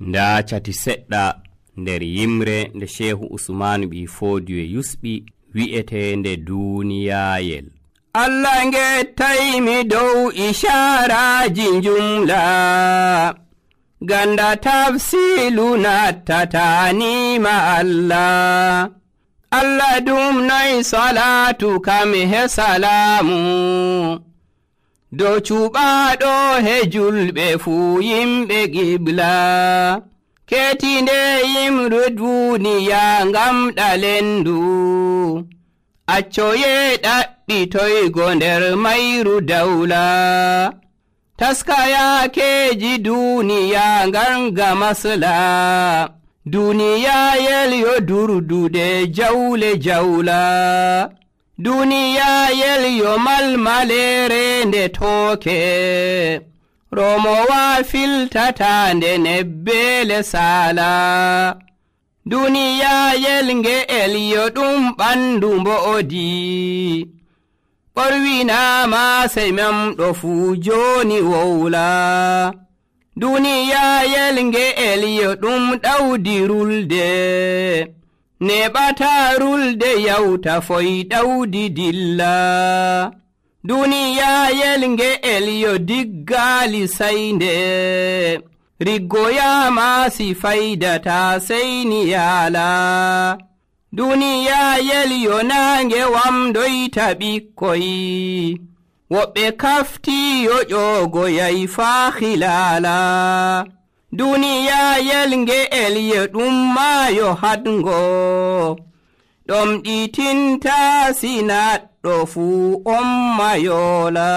nda cati seɗɗa nder yimre nde Shehu Usmanu ɓi Fodiyo yusɓi wi'etende duniyayel. Allah ngettaymi dow isharaji jumla ganda tafsilu nattatanima Allah. Allah dum noy salatu kam he salamu dow cuɓaɗo he julɓe fuu yimɓe qibla. Ketinde yimru duniya ngam ɗalendu accoye ɗaɓɓitoygo nder mayru dawla. Taskayakeji duniya nganga masla duniyayel yo durdude jawle jawla. Duniyayel yo malmalere nde tooke romowa filtatande nebbele sala. Duniyayel nge'el yo ɗum ɓandu mbo'odi ɓorwinama sey memɗo fuu joni wowla. Duniyayel nge'el yo ɗum ɗawdi rulde neɓata rulde yawta foy ɗawdi dilla. Duniyayel nge'el yo diggali saynde riggoyama si faydata seyni yaala. Duniyayel yo nange wamdoyta ɓikkoy woɓɓe kafti yo ƴogoyay faa hilala. Duniyayel nge'el yo ɗum maayo hadgo ɗom ɗitinta sinaɗɗo fuu on mayola.